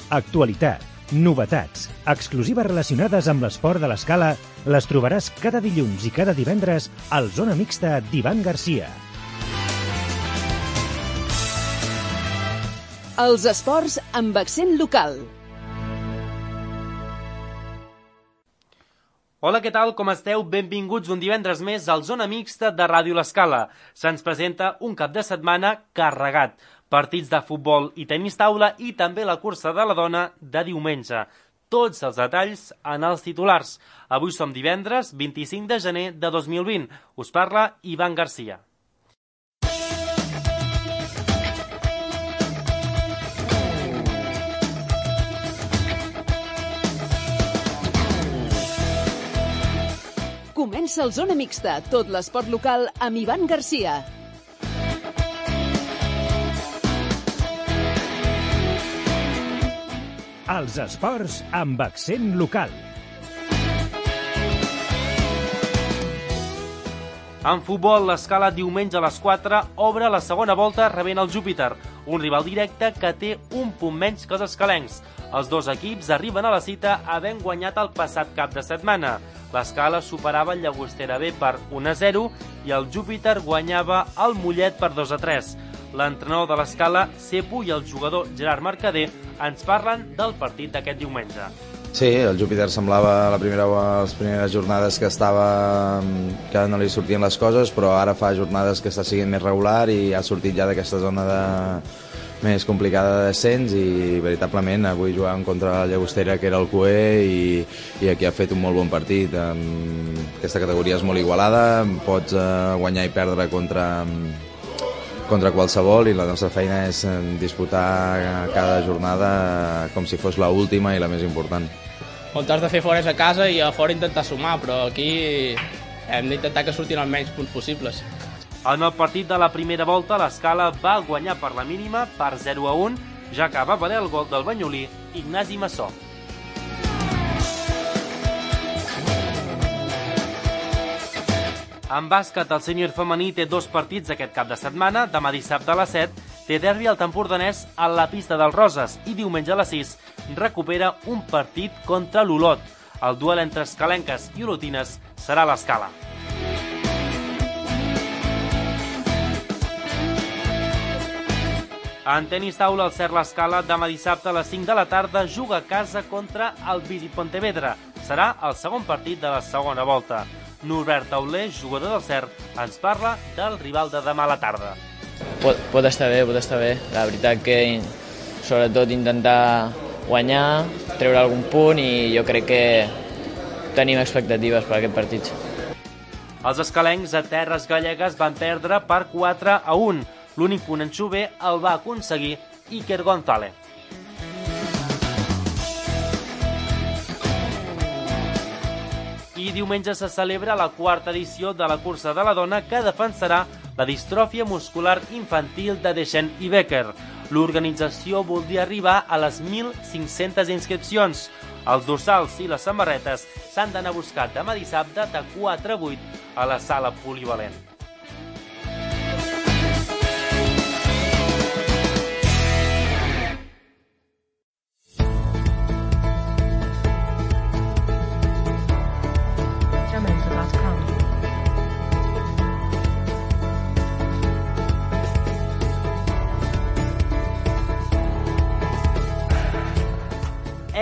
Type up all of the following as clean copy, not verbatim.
Actualitat, novetats, exclusives relacionades amb l'esport de l'Escala les trobaràs cada dilluns i cada divendres al Zona Mixta d'Ivan Garcia. Els esports amb accent local. Hola, què tal? Com esteu? Benvinguts un divendres més al Zona Mixta de Ràdio L'Escala. Se'ns presenta un cap de setmana carregat. Partits de futbol i tenis taula i també la cursa de la dona de diumenge. Tots els detalls en els titulars. Avui som divendres 25 de gener de 2020. Us parla Ivan Garcia. Comença el Zona Mixta, tot l'esport local amb Ivan Garcia. Els esports amb accent local. En futbol, l'Escala diumenge a les 4 obre la segona volta rebent el Júpiter, un rival directe que té un punt menys que els escalencs. Els dos equips arriben a la cita havent guanyat el passat cap de setmana. L'Escala superava el Llagostera B per 1-0 i el Júpiter guanyava el Mollet per 2-3. L'entrenador de l'Escala, Cepo, i el jugador Gerard Mercader ens parlen del partit d'aquest diumenge. Sí, el Júpiter semblava les primeres jornades que no li sortien les coses, però ara fa jornades que està sent més regular i ha sortit ja d'aquesta zona més complicada de descens i veritablement avui jugàvem contra la Llagostera, que era el cuer, i aquí ha fet un molt bon partit. Aquesta categoria és molt igualada, pots guanyar i perdre contra qualsevol, i la nostra feina és disputar cada jornada com si fos l'última i la més important. On t'has de fer fora és a casa i a fora intentar sumar, però aquí hem d'intentar que surtin els menys punts possibles. En el partit de la primera volta, l'Escala va guanyar per la mínima per 0-1, ja que va valer el gol del banyolí Ignasi Massó. En bàsquet, el sènior femení té dos partits aquest cap de setmana. Demà dissabte a les 7 té derbi al Empordanès a la pista dels Roses i diumenge a les 6 recupera un partit contra l'Olot. El duel entre escalenques i olotines serà a l'Escala. En tenis taula, el Cert l'Escala demà dissabte a les 5 de la tarda juga a casa contra el Visit Pontevedra. Serà el segon partit de la segona volta. Norbert Tauler, jugador del Cert, ens parla del rival de demà a la tarda. Pot estar bé. La veritat que sobretot intentar guanyar, treure algun punt, i jo crec que tenim expectatives per aquest partit. Els escalencs a terres gallegues van perdre per 4-1. L'únic punt en Xuber el va aconseguir Iker González. I diumenge se celebra la quarta edició de la cursa de la dona, que defensarà la distròfia muscular infantil de Deschênes i Becker. L'organització voldria arribar a les 1.500 inscripcions. Els dorsals i les samarretes s'han d'anar a buscar demà dissabte de 4 a 8 a la sala polivalent.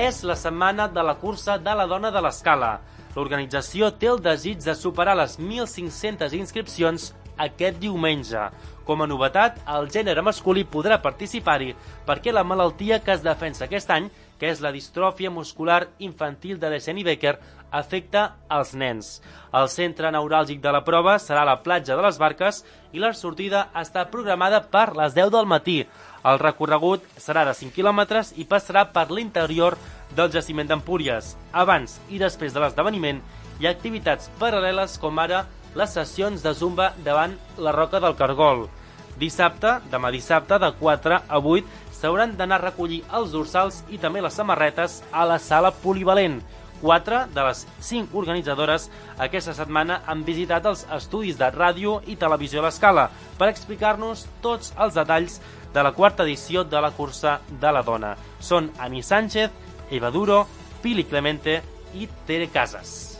És la setmana de la cursa de la dona de l'Escala. L'organització té el desig de superar les 1.500 inscripcions aquest diumenge. Com a novetat, el gènere masculí podrà participar-hi perquè la malaltia que es defensa aquest any, que és la distròfia muscular infantil de Deschênes i Becker, afecta als nens. El centre neuràlgic de la prova serà a la platja de les Barques i la sortida està programada per les 10 del matí. El recorregut serà de 5 quilòmetres i passarà per l'interior del jaciment d'Empúries. Abans i després de l'esdeveniment hi ha activitats paral·leles com ara les sessions de zumba davant la Roca del Cargol. Demà dissabte, de 4 a 8, s'hauran d'anar a recollir els dorsals i també les samarretes a la sala polivalent. 4 de les 5 organitzadores aquesta setmana han visitat els estudis de ràdio i televisió a l'Escala per explicar-nos tots els detalls de la quarta edició de la cursa de la dona. Són Ani Sánchez, Eva Duro, Pili Clemente i Tere Casas.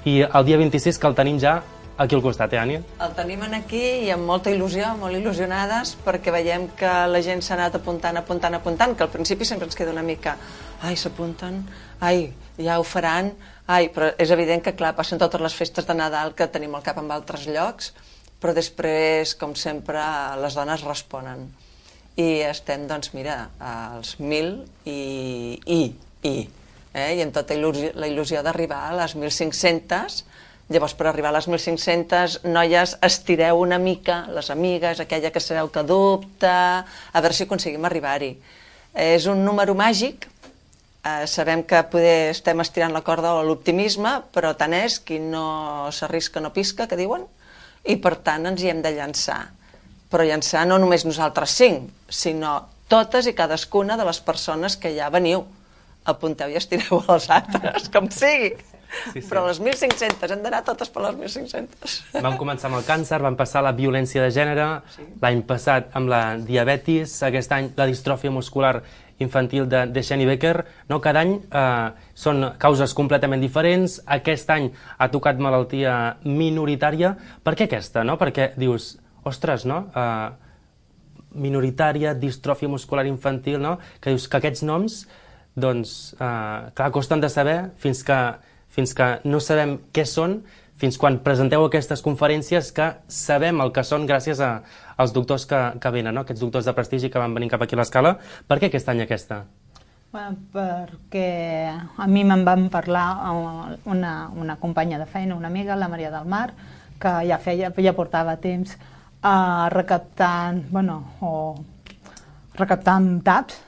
I el dia 26 que el tenim ja aquí al costat, Ani? El tenim aquí i amb molta il·lusió, molt il·lusionades, perquè veiem que la gent s'ha anat apuntant, que al principi sempre ens queda una mica ai, s'apunten, ai, ja ho faran, ai, però és evident que, clar, passen totes les festes de Nadal que tenim al cap en altres llocs, però després, com sempre, les dones responen. I estem, doncs, mira, als 1.000 i amb tota la il·lusió d'arribar a les 1.500. Llavors, per arribar a les 1.500, noies, estireu una mica, les amigues, aquella que sabeu que dubta, a veure si aconseguim arribar-hi. És un número màgic, sabem que poder estem estirant la corda o l'optimisme, però tant és, qui no s'arrisca no pisca, que diuen, i per tant ens hi hem de llançar. Però llançar no només nosaltres 5, sinó totes i cadascuna de les persones que ja veniu. Apunteu i estireu els altres, com sigui. Sí. Però les 1.500, hem d'anar totes per les 1.500. Vam començar amb el càncer, vam passar la violència de gènere, l'any passat amb la diabetis, aquest any la distròfia muscular infantil de Shani Becker. No, cada any són causes completament diferents. Aquest any ha tocat malaltia minoritària. Per què aquesta? No? Perquè dius, ostres, no? Minoritària, distròfia muscular infantil, no? Que dius que aquests noms, doncs, clar, costen de saber fins que no sabem què són, fins quan presenteu aquestes conferències que sabem el que són gràcies als doctors que venen, no? Aquests doctors de prestigi que van venir cap aquí a l'Escala. Per què aquest any aquesta? Bueno, perquè a mi me'n van parlar una companya de feina, una amiga, la Maria del Mar, que ja portava temps recaptant taps,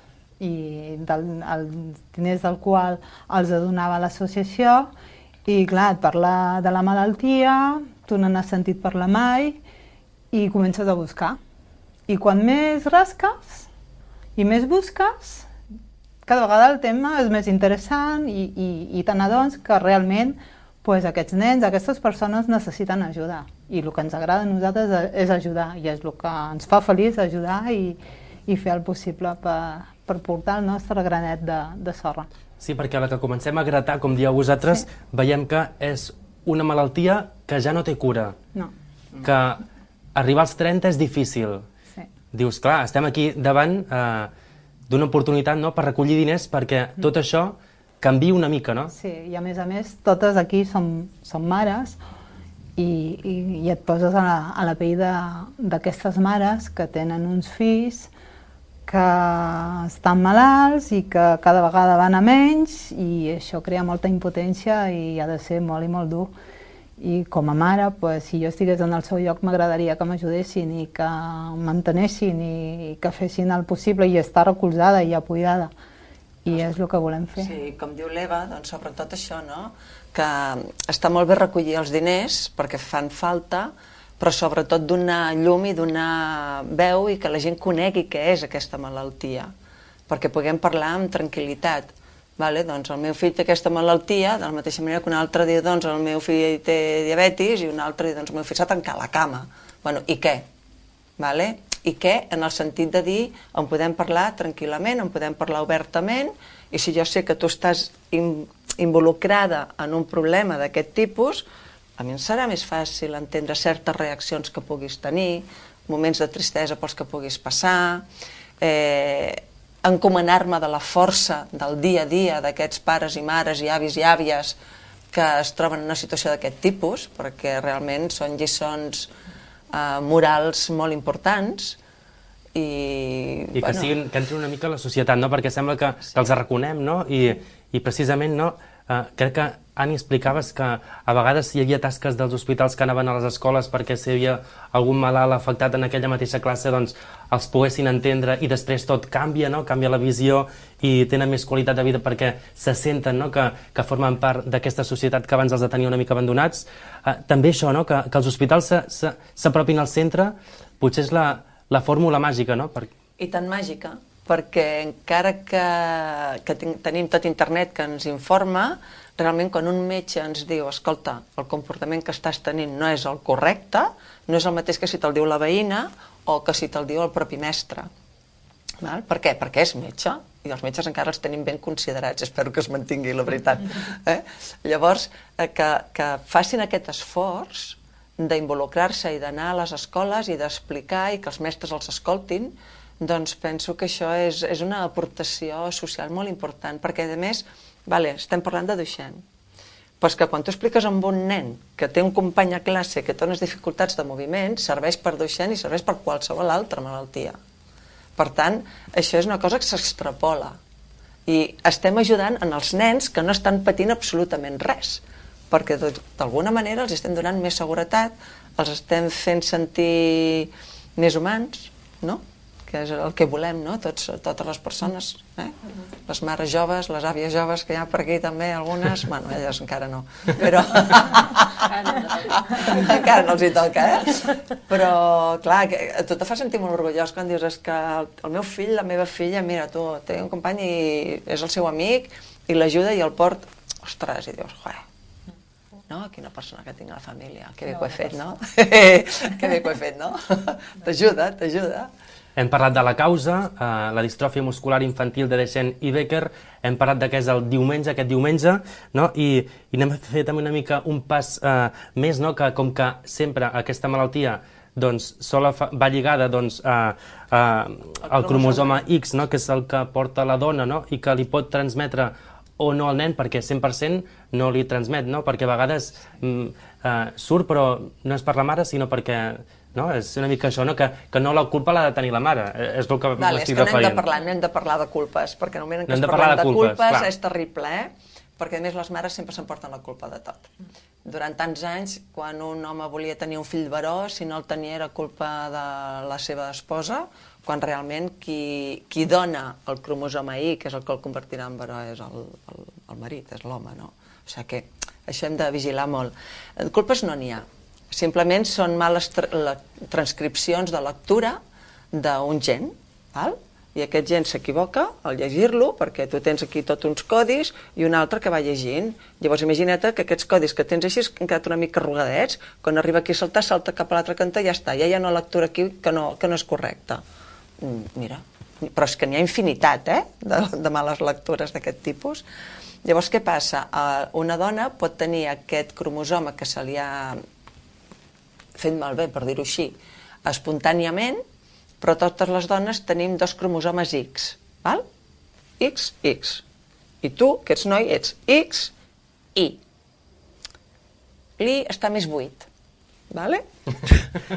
i els diners del qual els donava l'associació, i clar, et parla de la malaltia, tu no n'has sentit parlar mai i comences a buscar. I quan més rasques i més busques, cada vegada el tema és més interessant i te n'adones que realment aquests nens, aquestes persones necessiten ajuda, i el que ens agrada a nosaltres és ajudar, i és el que ens fa feliç, ajudar i fer el possible per portar el nostre granet de sorra. Sí, perquè a la que comencem a gratar, com dieu vosaltres, veiem que és una malaltia que ja no té cura. No. Que arribar als 30 és difícil. Sí. Dius, clar, estem aquí davant d'una oportunitat, no?, per recollir diners perquè tot això canvia una mica, no? Sí, i a més, totes aquí som mares i et poses a la pell d'aquestes mares que tenen uns fills que estan malalts i que cada vegada van a menys, i això crea molta impotència i ha de ser molt i molt dur. I com a mare, si jo estigués en el seu lloc, m'agradaria que m'ajudessin i que m'entenessin i que fessin el possible i estar recolzada i apoyada. I és el que volem fer. Sí, com diu l'Eva, doncs sobretot això, no? Que està molt bé recollir els diners perquè fan falta, però sobretot donar llum i donar veu i que la gent conegui què és aquesta malaltia, perquè puguem parlar amb tranquil·litat. Doncs el meu fill té aquesta malaltia, de la mateixa manera que un altre diu, doncs el meu fill té diabetis, i un altre diu, doncs el meu fill s'ha tancat a la cama. I què? I què? En el sentit de dir, en podem parlar tranquil·lament, en podem parlar obertament, i si jo sé que tu estàs involucrada en un problema d'aquest tipus, a mi em serà més fàcil entendre certes reaccions que puguis tenir, moments de tristesa pels que puguis passar, encomanar-me de la força del dia a dia d'aquests pares i mares i avis i àvies que es troben en una situació d'aquest tipus, perquè realment són lliçons morals molt importants. I que entrin una mica a la societat, no? Perquè sembla que els reconem, no? I precisament, no? Crec que, Ani, explicaves que a vegades hi havia tasques dels hospitals que anaven a les escoles perquè si hi havia algun malalt afectat en aquella mateixa classe, doncs els poguessin entendre, i després tot canvia, no? Canvia la visió i tenen més qualitat de vida perquè se senten, no?, que formen part d'aquesta societat que abans els tenia una mica abandonats. També això, no?, que els hospitals s'apropin al centre, potser és la fórmula màgica, no? I tan màgica, perquè encara que tenim tot internet que ens informa, realment quan un metge ens diu, escolta, el comportament que estàs tenint no és el correcte, no és el mateix que si te'l diu la veïna o que si te'l diu el propi mestre. Per què? Perquè és metge, i els metges encara els tenim ben considerats, espero que es mantingui, la veritat. Llavors, que facin aquest esforç d'involucrar-se i d'anar a les escoles i d'explicar i que els mestres els escoltin, doncs penso que això és una aportació social molt important, perquè a més, estem parlant de Duchenne, però és que quan tu expliques amb un nen que té un company a classe que té unes dificultats de moviment, serveix per Duchenne i serveix per qualsevol altra malaltia. Per tant, això és una cosa que s'extrapola i estem ajudant en els nens que no estan patint absolutament res, perquè d'alguna manera els estem donant més seguretat, els estem fent sentir més humans, no? Que és el que volem, no? Totes les persones, les mares joves, les àvies joves, que hi ha per aquí també algunes, bueno, elles encara no, però encara no els hi toca, però clar, a tu te fa sentir molt orgullós quan dius que el meu fill, la meva filla, mira, tu, té un company i és el seu amic i l'ajuda i el port, ostres, i dius, no? Quina persona que tinc a la família, que bé que ho he fet, no? Que bé que ho he fet, no? T'ajuda. Hem parlat de la causa, la distròfia muscular infantil de Duchenne i Becker, hem parlat de què és el diumenge, aquest diumenge, no? I anem a fer també una mica un pas més, no? Que com que sempre aquesta malaltia doncs, va lligada doncs, al cromosoma X, no? Que és el que porta la dona, no? I que li pot transmetre o no al nen, perquè 100% no li transmet, no? Perquè a vegades surt, però no és per la mare, sinó perquè... No? És una mica això, no? Que no la culpa l'ha de tenir la mare, és el que m'estic referint. No hem de parlar de culpes, perquè en el moment en què es parla de culpes és terrible, perquè a més les mares sempre s'emporten la culpa de tot. Durant tants anys, quan un home volia tenir un fill varó, si no el tenia era culpa de la seva esposa, quan realment qui dona el cromosoma Y, que és el que el convertirà en varó, és el marit, és l'home, no? O sigui que això hem de vigilar molt. Culpes no n'hi ha. Simplement són males transcripcions de lectura d'un gen, i aquest gen s'equivoca al llegir-lo, perquè tu tens aquí tots uns codis i un altre que va llegint. Llavors imagina't que aquests codis que tens així han quedat una mica arrugadets, quan arriba aquí a saltar, salta cap a l'altre cantó i ja està, ja hi ha una lectura aquí que no és correcta. Mira, però és que n'hi ha infinitat, de males lectures d'aquest tipus. Llavors què passa? Una dona pot tenir aquest cromosoma que se li ha fet malbé, per dir-ho així, espontàniament, però totes les dones tenim 2 cromosomes X, val? X, X. I tu, que ets noi, ets X, Y. L'I està més buit, vale?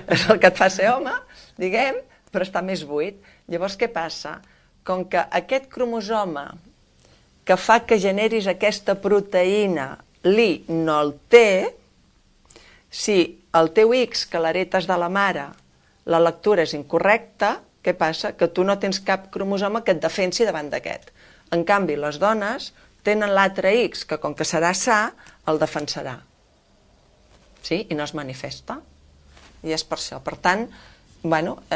És el que et fa ser home, diguem, però està més buit. Llavors què passa? Com que aquest cromosoma que fa que generis aquesta proteïna, l'I no el té, si el teu X, que l'heretes de la mare, la lectura és incorrecta, què passa? Que tu no tens cap cromosoma que et defensi davant d'aquest. En canvi, les dones tenen l'altre X, que com que serà sa, el defensarà. Sí? I no es manifesta. I és per això. Per tant,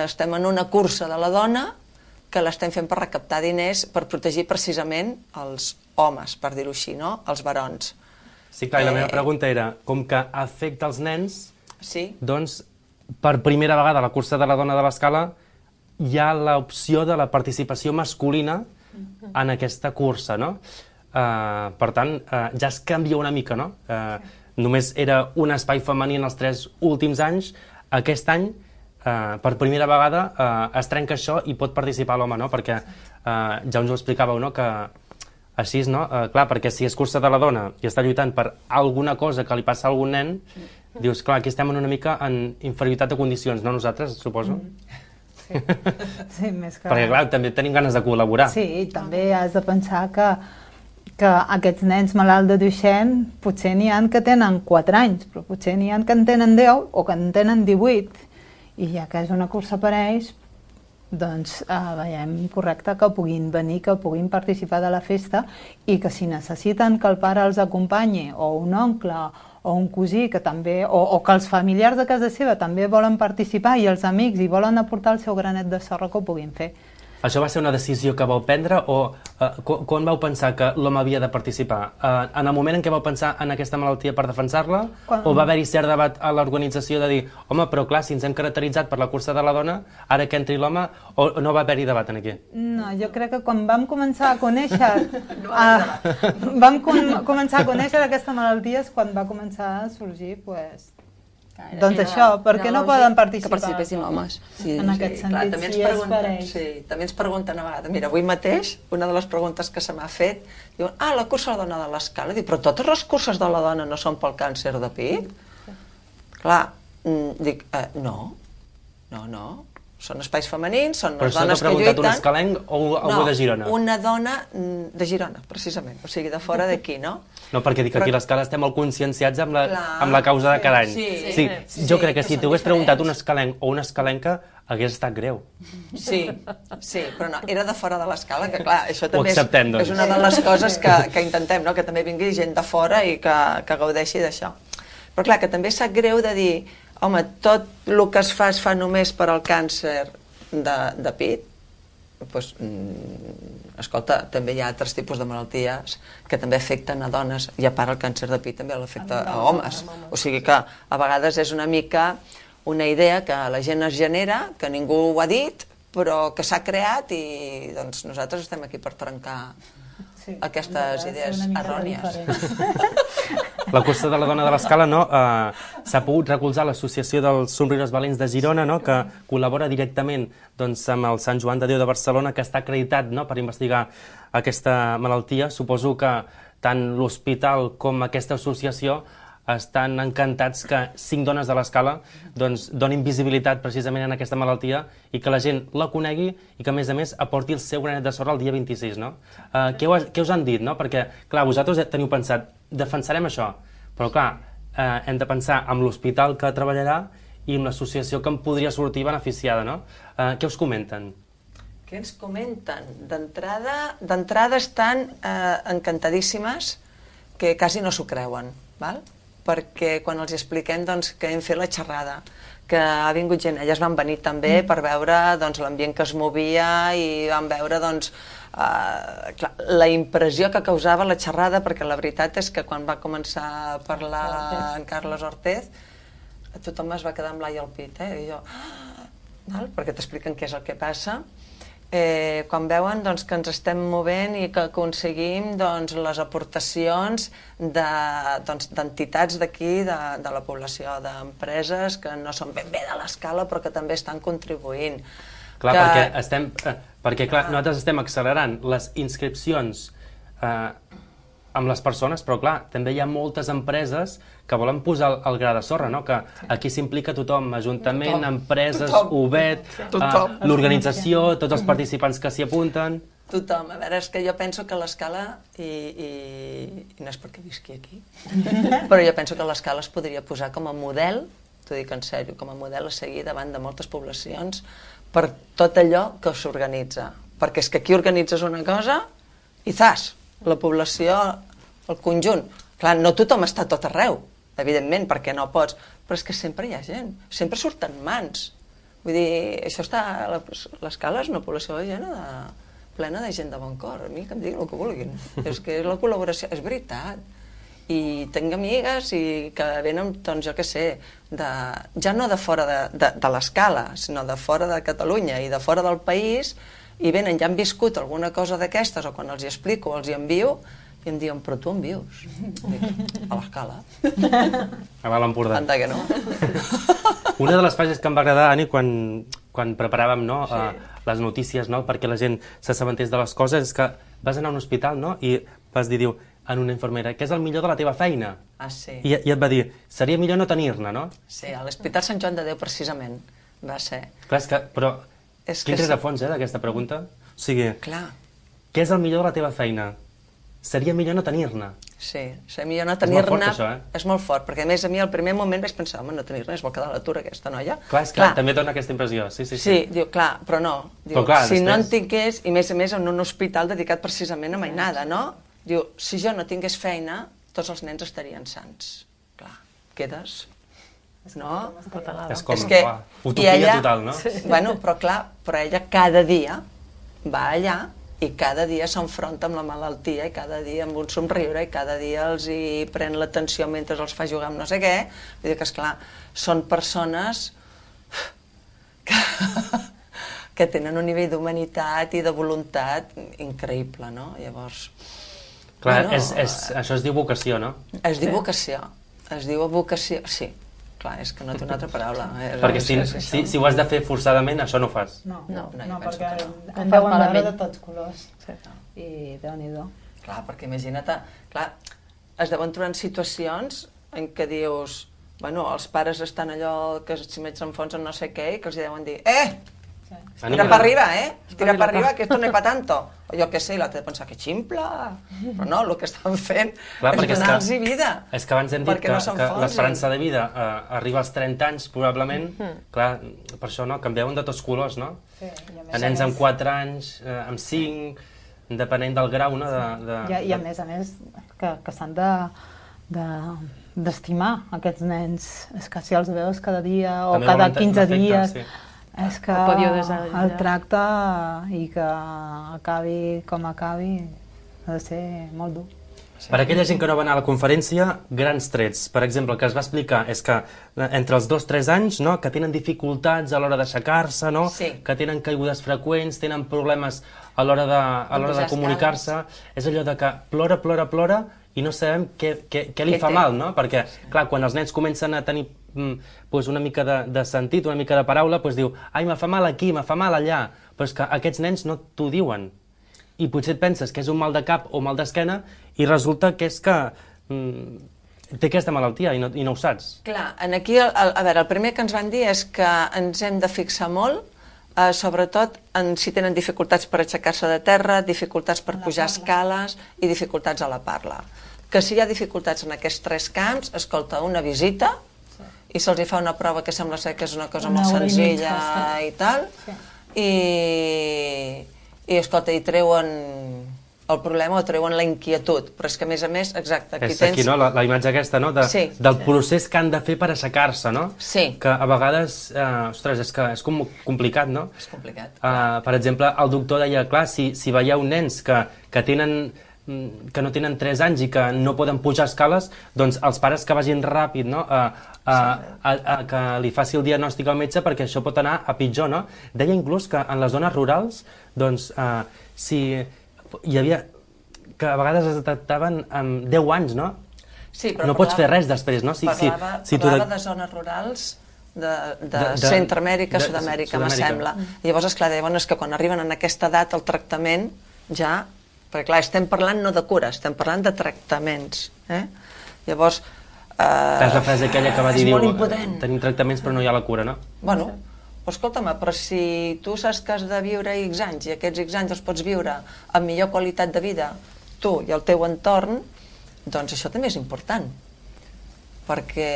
estem en una cursa de la dona que l'estem fent per recaptar diners per protegir precisament els homes, per dir-ho així, no? Els barons. Sí, clar, i la meva pregunta era, com que afecta els nens, sí. Doncs, per primera vegada a la cursa de la dona de l'Escala hi ha l'opció de la participació masculina en aquesta cursa, no? Per tant, ja es canvia una mica, no? Només era un espai femení en els 3 últims anys. Aquest any, per primera vegada, es trenca això i pot participar l'home, no? Perquè ja ens ho explicàveu, no? Que així, no? Clar, perquè si és cursa de la dona i està lluitant per alguna cosa que li passa a algun nen, dius, clar, aquí estem una mica en inferioritat de condicions, no nosaltres, suposo? Sí, més que... Perquè, clar, també tenim ganes de col·laborar. Sí, també has de pensar que aquests nens malalts de Duchenne potser n'hi ha que tenen 4 anys, però potser n'hi ha que en tenen 10 o que en tenen 18, i ja que és una cursa per ells, doncs veiem correcte que puguin venir, que puguin participar de la festa i que si necessiten que el pare els acompanyi, o un oncle, o un cosí, que també, o que els familiars de casa seva també volen participar i els amics i volen aportar el seu granet de sorra, que ho puguin fer. Això va ser una decisió que vau prendre o quan vau pensar que l'home havia de participar? En el moment en què vau pensar en aquesta malaltia per defensar-la? O va haver-hi cert debat a l'organització de dir home, però clar, si ens hem caracteritzat per la cursa de la dona, ara que entri l'home, o no va haver-hi debat aquí? No, jo crec que quan vam començar a conèixer començar a conèixer aquesta malaltia és quan va començar a sorgir, doncs això, perquè no poden participar? Que participessin homes. En aquest sentit, si és per ells. Sí, també ens pregunten a vegades. Mira, avui mateix, una de les preguntes que se m'ha fet, diuen, la cursa de la dona de l'escala. Dic, però totes les curses de la dona no són pel càncer de pit? Clar, dic, no. Són espais femenins, són les dones que lluiten... Però això t'ha preguntat un escalenc o algú de Girona? No, una dona de Girona, precisament, o sigui, de fora d'aquí, no? No, perquè dic que aquí a l'Escala estem molt conscienciats amb la causa de cada any. Sí, jo crec que si t'hagués preguntat un escalenc o una escalenca, hagués estat greu. Sí, però no, era de fora de l'Escala, que clar, això també és una de les coses que intentem, no? Que també vingui gent de fora i que gaudeixi d'això. Però clar, que també sap greu de dir, home, tot el que es fa només per al càncer de pit, doncs, escolta, també hi ha altres tipus de malalties que també afecten a dones, i a part el càncer de pit també l'afecta a homes. O sigui que a vegades és una mica una idea que la gent es genera, que ningú ho ha dit, però que s'ha creat i doncs nosaltres estem aquí per trencar aquestes idees errònies. La cursa de la dona de l'Escala s'ha pogut recolzar l'Associació dels Somriures Valents de Girona, que col·labora directament amb el Sant Joan de Déu de Barcelona, que està acreditat per investigar aquesta malaltia. Suposo que tant l'hospital com aquesta associació estan encantats que 5 dones de l'Escala donin visibilitat precisament en aquesta malaltia i que la gent la conegui i que, a més, aporti el seu granet de sorra el dia 26, no? Què us han dit, no? Perquè, clar, vosaltres teniu pensat, defensarem això, però, clar, hem de pensar en l'hospital que treballarà i en l'associació que en podria sortir beneficiada, no? Què us comenten? Què ens comenten? D'entrada estan encantadíssimes que quasi no s'ho creuen, val? Perquè quan els expliquem que hem fet la xerrada, que ha vingut gent, elles van venir també per veure l'ambient que es movia i van veure la impressió que causava la xerrada, perquè la veritat és que quan va començar a parlar en Carles Ortez, tothom es va quedar amb l'ai al pit, i jo, perquè t'expliquen què és el que passa. Quan veuen que ens estem movent i que aconseguim les aportacions d'entitats d'aquí, de la població, d'empreses que no són ben bé de l'Escala però que també estan contribuint. Clar, perquè nosaltres estem accelerant les inscripcions amb les persones, però clar, també hi ha moltes empreses que volen posar el gra de sorra, que aquí s'implica tothom, Ajuntament, empreses, UBET, l'organització, tots els participants que s'hi apunten... Tothom. A veure, és que jo penso que l'Escala, i no és perquè visqui aquí, però jo penso que l'Escala es podria posar com a model, t'ho dic en sèrio, com a model a seguir davant de moltes poblacions per tot allò que s'organitza. Perquè és que aquí organitzes una cosa i la població, el conjunt. Clar, no tothom està tot arreu, evidentment, perquè no pots, però és que sempre hi ha gent, sempre surten mans. Vull dir, això està... L'Escala és una població plena de gent de bon cor, a mi que em diguin el que vulguin. És que la col·laboració, és veritat. I tinc amigues que venen, doncs jo què sé, ja no de fora de l'Escala, sinó de fora de Catalunya i de fora del país, i venen, ja han viscut alguna cosa d'aquestes, o quan els hi explico, els hi envio, i em diuen, però tu on vius? Dic, a l'Escala. A Baix Empordà. Anda que no. Una de les frases que em va agradar, Ani, quan preparàvem les notícies perquè la gent s'assabentés de les coses, és que vas anar a un hospital i vas dir, a una infermera, què és el millor de la teva feina? Ah, sí. I et va dir, seria millor no tenir-ne, no? Sí, a l'Hospital Sant Joan de Déu, precisament, va ser. Clar, però... Quin rerefons, d'aquesta pregunta? O sigui, què és el millor de la teva feina? Seria millor no tenir-ne. Sí, seria millor no tenir-ne. És molt fort, això, És molt fort, perquè a més a mi al primer moment vaig pensar, home, no tenir-ne, es vol quedar a l'atur aquesta noia. Clar, és clar, també dona aquesta impressió, sí. Sí, diu, clar, però no. Diu, si no en tingués, i més a més en un hospital dedicat precisament a mainada, no? Diu, si jo no tingués feina, tots els nens estarien sans. Clar, quedes... No? És com utopia total, no? Bueno, però clar, però ella cada dia va allà i cada dia s'enfronta amb la malaltia i cada dia amb un somriure i cada dia els hi pren l'atenció mentre els fa jugar amb no sé què. Vull dir que, esclar, són persones que tenen un nivell d'humanitat i de voluntat increïble, no? Llavors... Clar, això es diu vocació, no? Es diu vocació. Es diu vocació, sí. Clar, és que no té una altra paraula. Perquè si ho has de fer forçadament, això no ho fas. No, perquè en deuen veure de tots colors. I Déu-n'hi-do. Clar, perquè imagina't, clar, es deuen trobar en situacions en què dius, bueno, els pares estan allò que si m'ets s'enfonsen no sé què, i que els deuen dir, tira per arriba, tira per arriba, que esto no es pa tanto. O jo què sé, i l'altre de pensar que ximpla. Però no, el que estan fent és donar-los vida. És que abans hem dit que l'esperança de vida arriba als 30 anys, probablement. Clar, per això canviaven de tots colors, no? Nens amb 4 anys, amb 5, depenent del grau, no? I a més, que s'han d'estimar aquests nens. És que si els veus cada dia o cada 15 dies... És que el tracte i que acabi com acabi ha de ser molt dur. Per aquella gent que no va anar a la conferència, grans trets. Per exemple, el que es va explicar és que entre els 2-3 anys, que tenen dificultats a l'hora d'aixecar-se, que tenen caigudes freqüents, tenen problemes a l'hora de comunicar-se. És allò de que plora i no sabem què li fa mal, no? Perquè, clar, quan els nens comencen a tenir una mica de sentit, una mica de paraula, diu, ai, me fa mal aquí, me fa mal allà. Però és que aquests nens no t'ho diuen. I potser et penses que és un mal de cap o mal d'esquena i resulta que és que té aquesta malaltia i no ho saps. Clar, aquí, a veure, el primer que ens van dir és que ens hem de fixar molt, sobretot si tenen dificultats per aixecar-se de terra, dificultats per pujar escales i dificultats a la parla. Que si hi ha dificultats en aquests 3 camps, escolta, una visita i se'ls fa una prova que sembla ser que és una cosa molt senzilla i tal, i escolta, hi treuen el problema o treuen la inquietud, però és que a més, exacte, aquí tens... És aquí, no?, la imatge aquesta, no?, del procés que han de fer per aixecar-se, no? Sí. Que a vegades, ostres, és que és complicat, no? És complicat. Per exemple, el doctor deia, clar, si veieu nens que no tenen 3 anys i que no poden pujar escales, doncs els pares que vagin ràpid, no?, que li faci el diagnòstic al metge, perquè això pot anar a pitjor, no? Deia inclús que en les zones rurals, doncs, si hi havia... que a vegades es detectaven amb 10 anys, no? Sí, però no pots fer res després, no? Parlava de zones rurals de Centroamèrica, Sud-amèrica, me sembla. Llavors, esclar, deien que quan arriben en aquesta edat el tractament ja... Perquè, clar, estem parlant no de cura, estem parlant de tractaments. Llavors... És la frase aquella que va dir, impotent. Tenim tractaments però no hi ha la cura, no? Bueno, escolta'm, però si tu saps que has de viure X anys i aquests X anys els pots viure amb millor qualitat de vida, tu i el teu entorn, doncs això també és important. Perquè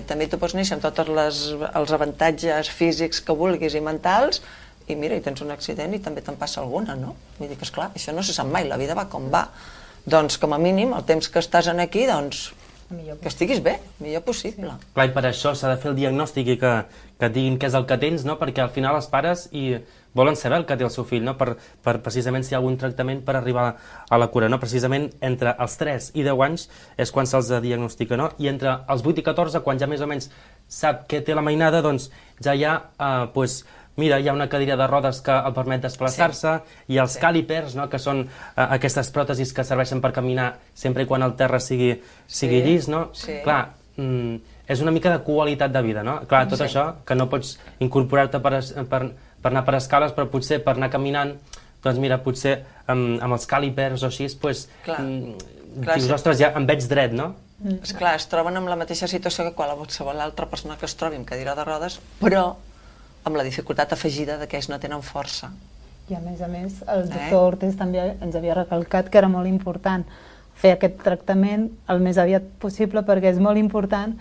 també tu pots néixer amb tots els avantatges físics que vulguis i mentals, i mira, i tens un accident i també te'n passa alguna, no? Vull dir que, esclar, això no se sap mai, la vida va com va. Doncs, com a mínim, el temps que estàs aquí, doncs, que estiguis bé, millor possible. Clar, i per això s'ha de fer el diagnòstic i que et diguin què és el que tens, no? Perquè al final els pares volen saber el que té el seu fill, no? Per precisament si hi ha algun tractament per arribar a la cura, no? Precisament entre els 3 i 10 anys és quan se'ls diagnostica, no? I entre els 8 i 14, quan ja més o menys sap què té la mainada, doncs ja hi ha, mira, hi ha una cadira de rodes que el permet desplaçar-se, i els càlipers, no?, que són aquestes pròtesis que serveixen per caminar sempre i quan el terra sigui llis, no? Clar, és una mica de qualitat de vida, no? Clar, tot això, que no pots incorporar-te per anar per escales, però potser per anar caminant, doncs mira, potser amb els càlipers o així, doncs, dius, ostres, ja em veig dret, no? Esclar, es troben amb la mateixa situació que qualsevol altra persona que es trobi amb cadira de rodes, però amb la dificultat afegida que ells no tenen força. I a més, el doctor Ortiz també ens havia recalcat que era molt important fer aquest tractament el més aviat possible, perquè és molt important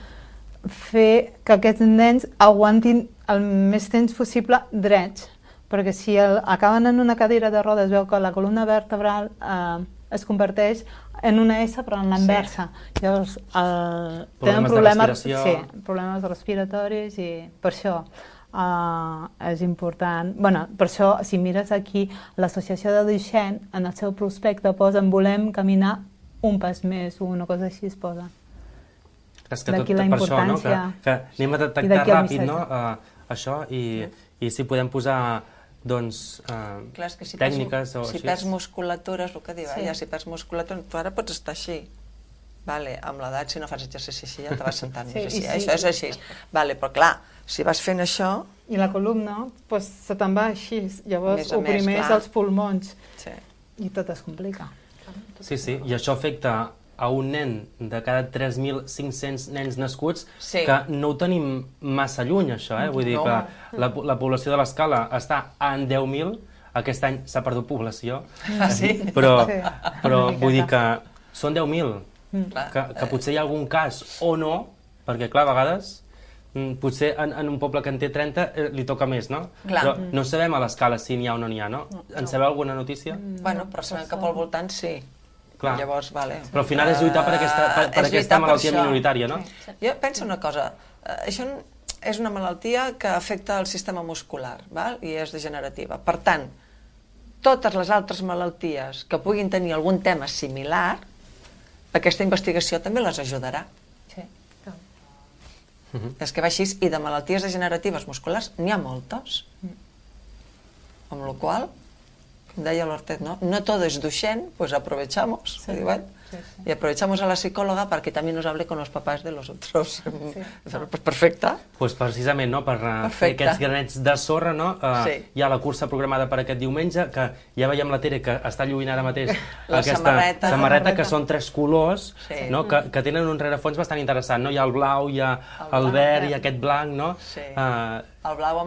fer que aquests nens aguantin el més temps possible drets, perquè si acaben en una cadira de rodes, veu que la columna vertebral es converteix en una S però en l'inversa. Llavors tenen problemes respiratoris i per això és important. Bueno, per això, si mires aquí, l'Associació de Duixent, en el seu prospecte posen volem caminar un pas més, o una cosa així es posa. És que tot per això, no? Que anem a detectar ràpid, no? Això, i si podem posar tècniques o així. Si perds musculatura, és el que diu, si perds musculatura, tu ara pots estar així. Amb l'edat, si no fas exercici així, ja te vas sentant més així. Això és així. Però clar, si vas fent això... I la columna, se te'n va així. Llavors oprimeix els pulmons. I tot es complica. Sí, i això afecta a un nen de cada 3.500 nens nascuts, que no ho tenim massa lluny, això, Vull dir que la població de l'Escala està en 10.000, aquest any s'ha perdut població, però vull dir que són 10.000, que potser hi ha algun cas o no, perquè clar, a vegades potser en un poble que en té 30 li toca més, no? Però no sabem a l'Escala si n'hi ha o no n'hi ha, no? En sabeu alguna notícia? Bueno, però sabem que pel voltant sí. Llavors, però al final és lluitar per aquesta malaltia minoritària, no? Jo penso una cosa, això és una malaltia que afecta el sistema muscular i és degenerativa. Per tant, totes les altres malalties que puguin tenir algun tema similar, aquesta investigació també les ajudarà. És que va així, i de malalties degeneratives musculars n'hi ha moltes. Amb la qual cosa, deia l'Ortet, no todo es Duchenne, pues aprovechamos. Y aprovechamos a la psicóloga para que también nos hable con los papás de los otros. Pues perfecte. Pues precisament, no, per fer aquests granets de sorra, no? Hi ha la cursa programada per aquest diumenge, que ja veiem la Tere que està lluint ara mateix aquesta samarreta, que són 3 colors, que tenen un rerefons bastant interessant, no? Hi ha el blau, hi ha el verd, hi ha aquest blanc, no? El blau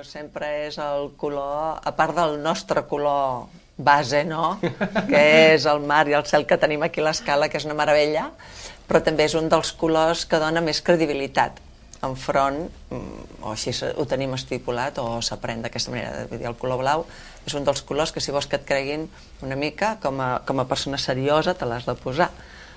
sempre és el color, a part del nostre color base, no? Que és el mar i el cel que tenim aquí a l'Escala, que és una meravella, però també és un dels colors que dona més credibilitat enfront, o així ho tenim estipulat, o s'aprèn d'aquesta manera. Vull dir, el color blau és un dels colors que si vols que et creguin una mica, com a persona seriosa te l'has de posar.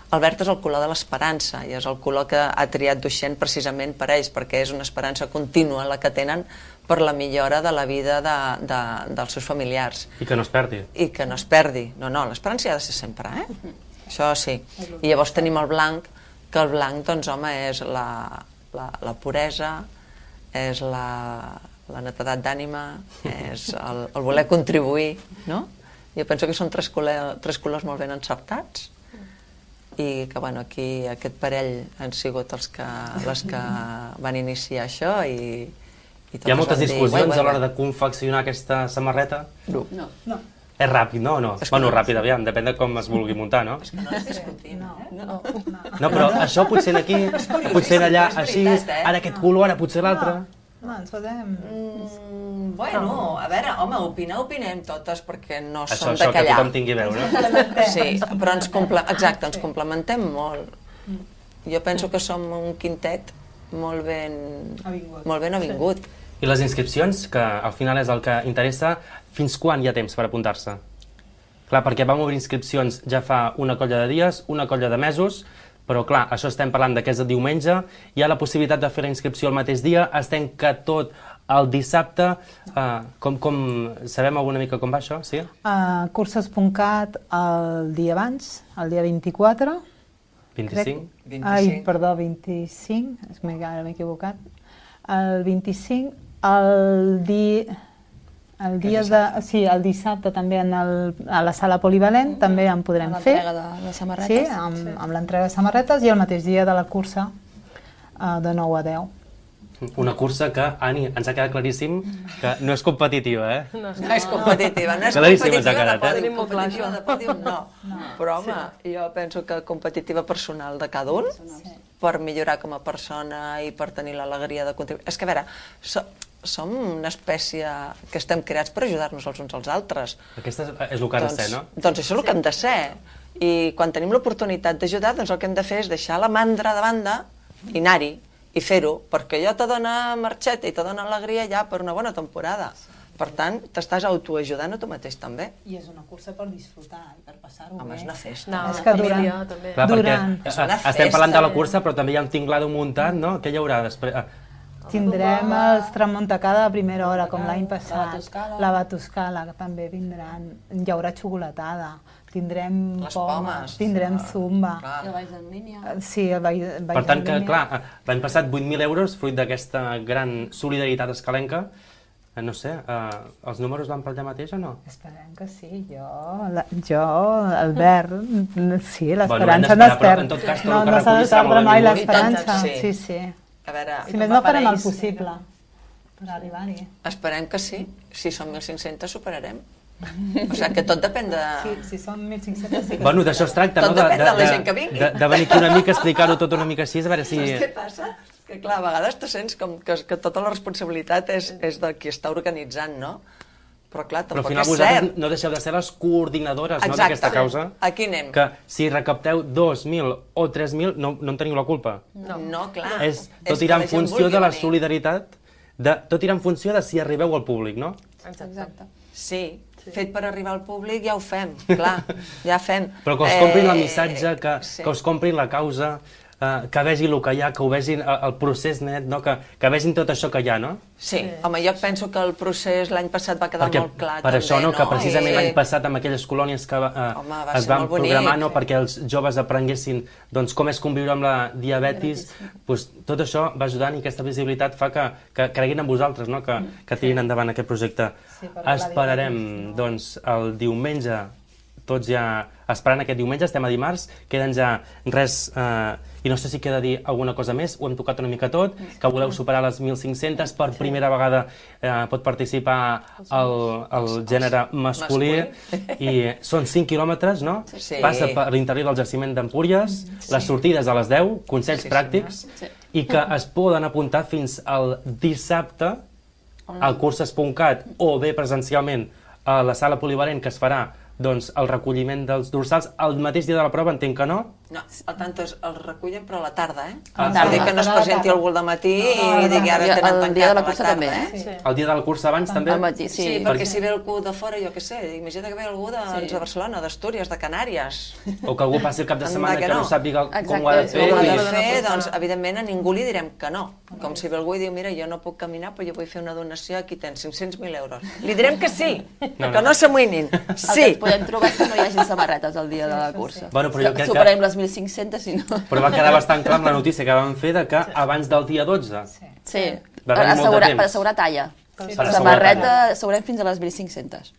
El verd és el color de l'esperança, i és el color que ha triat Duixent precisament per ells, perquè és una esperança contínua la que tenen per la millora de la vida dels seus familiars. I que no es perdi. I que no es perdi. No, l'esperança ha de ser sempre, Això sí. I llavors tenim el blanc, que el blanc, doncs, home, és la puresa, és la netedat d'ànima, és el voler contribuir, no? Jo penso que són 3 colors molt ben encertats, i que, bueno, aquí aquest parell han sigut les que van iniciar això i hi ha moltes discussions a l'hora de confeccionar aquesta samarreta? No. És ràpid, no? Bueno, ràpid, aviam, depèn de com es vulgui muntar, no? És que no ens discutim, No, però això potser aquí, potser allà, així, ara aquest color, ara potser l'altre. No, ens podem... Bueno, a veure, home, opinem totes perquè no som de callar. Això, que tothom tingui veu, no? Sí, però ens complementem molt. Jo penso que som un quintet molt ben avingut. I les inscripcions, que al final és el que interessa, fins quan hi ha temps per apuntar-se? Clar, perquè vam obrir inscripcions ja fa una colla de dies, una colla de mesos, però clar, això estem parlant que és el diumenge, hi ha la possibilitat de fer la inscripció el mateix dia, es tanca tot el dissabte, sabem alguna mica com va això, sí? Curses.cat el dia abans, el dia 24. 25? Ai, perdó, 25, ara m'he equivocat. El 25, el dissabte també a la sala polivalent també en podrem fer. Amb l'entrega de samarretes. Sí, amb l'entrega de samarretes i el mateix dia de la cursa de 9 a 10. Una cursa que, Ani, ens ha quedat claríssim que no és competitiva, No és competitiva, de pòdium no. Però, home, jo penso que competitiva personal de cada un, per millorar com a persona i per tenir l'alegria de contribuir. És que, a veure, som una espècie que estem creats per ajudar-nos els uns als altres. Aquesta és el que ha de ser, no? Doncs això és el que hem de ser. I quan tenim l'oportunitat d'ajudar, doncs el que hem de fer és deixar la mandra de banda i anar-hi i fer-ho, perquè allò te dona marxeta i te dona alegria ja per una bona temporada. Per tant, t'estàs autoajudant a tu mateix també. I és una cursa per disfrutar i per passar-ho bé. Home, és una festa. No, és que família, també. Clar, perquè estem parlant de la cursa, però també hi ha un tinglado muntat, no? Què hi haurà després? Tindrem els Tramontacada a primera hora, com l'any passat. La Batuscala, que també vindran. Hi haurà xocolatada. Tindrem pomes, tindrem zumba. I el ball en línia. Sí, el ball en línia. Per tant, que, clar, l'any passat 8.000 euros, fruit d'aquesta gran solidaritat escalenca. No sé, els números van per allà mateix o no? Esperem que sí, jo, Albert, sí, l'esperança no es perd. Però en tot cas, no s'ha de perdre mai l'esperança. Sí. A veure, si més no farem el possible per arribar-hi. Esperem que sí, si són 1.500 superarem. O sigui que tot depèn de... Sí, si són 1.500 sí que... Bueno, d'això es tracta, no? Tot depèn de la gent que vingui. De venir aquí una mica, explicar-ho tot una mica així, a veure si... Saps què passa? Que clar, a vegades te sents com que tota la responsabilitat és de qui està organitzant, no? Però clar, tampoc és cert. Però al final vosaltres no deixeu de ser les coordinadores d'aquesta causa. Aquí anem. Que si recapteu 2.000 o 3.000 no en teniu la culpa. No, clar. Tot irà en funció de la solidaritat, tot irà en funció de si arribeu al públic, no? Exacte. Sí, fet per arribar al públic ja ho fem, clar, ja fem. Però que us comprin el missatge, que us comprin la causa, que vegin el que hi ha, que ho vegin el procés net, no? Que vegin tot això que hi ha, no? Sí, home, jo penso que el procés l'any passat va quedar molt clar per també, això, no? Que precisament l'any passat amb aquelles colònies que es van programar perquè els joves aprenguessin com és conviure amb la diabetis, tot això va ajudant i aquesta visibilitat fa que creguin en vosaltres, que tirin endavant aquest projecte. Esperarem, doncs, el diumenge, tots ja esperant aquest diumenge, estem a dimarts, queden ja res, i no sé si queda dir alguna cosa més, ho hem tocat una mica tot, que voleu superar les 1.500, per primera vegada pot participar el gènere masculí, i són 5 quilòmetres, no? Passa per l'interior del jaciment d'Empúries, les sortides a les 10, consells pràctics, i que es poden apuntar fins al dissabte al Curses.cat o bé presencialment a la sala polivalent, que es farà el recolliment dels dorsals. El mateix dia de la prova entenc que no? No, el tanto el recullen però a la tarda, Vull dir que no es presenti algú al matí i digui ara tenen tancat el dia de la cursa també, El dia de la cursa abans també? Al matí, sí. Sí, perquè si ve algú de fora, jo què sé, imagina't que ve algú de Barcelona, d'Astúries, de Canàries. O que algú passi el cap de setmana que no sàpiga com ho ha de fer. Com ho ha de fer, doncs evidentment a ningú li direm que no. Com si ve algú i diu, mira, jo no puc caminar però jo vull fer una donació, aquí tens 500.000 euros. Li direm que sí, que no s'amoïnin. Sí. El que podem trobar és que no hi hagi samarretes el dia de la cursa. Superem les 1.500 si no... Però va quedar bastant clar amb la notícia que vam fer que abans del dia 12 sí, per assegurar talla. Samarreta assegurem fins a les 1.500.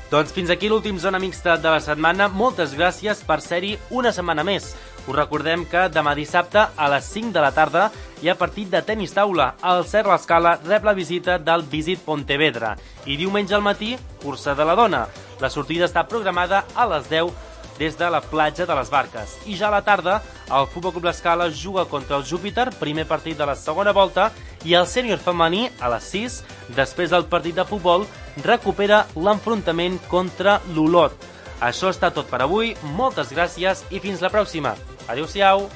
Doncs fins aquí l'últim Zona Mixta de la setmana. Moltes gràcies per ser-hi una setmana més. Us recordem que demà dissabte a les 5 de la tarda hi ha partit de tenis taula. El Cert l'Escala rep la visita del Visit Pontevedra. I diumenge al matí, cursa de la dona. La sortida està programada a les 10 des de la platja de les Barques. I ja a la tarda, el Futbol Club l'Escala juga contra el Júpiter, primer partit de la segona volta, i el sènior femení, a les 6, després del partit de futbol, recupera l'enfrontament contra l'Olot. Això està tot per avui, moltes gràcies i fins la pròxima. Adéu-siau!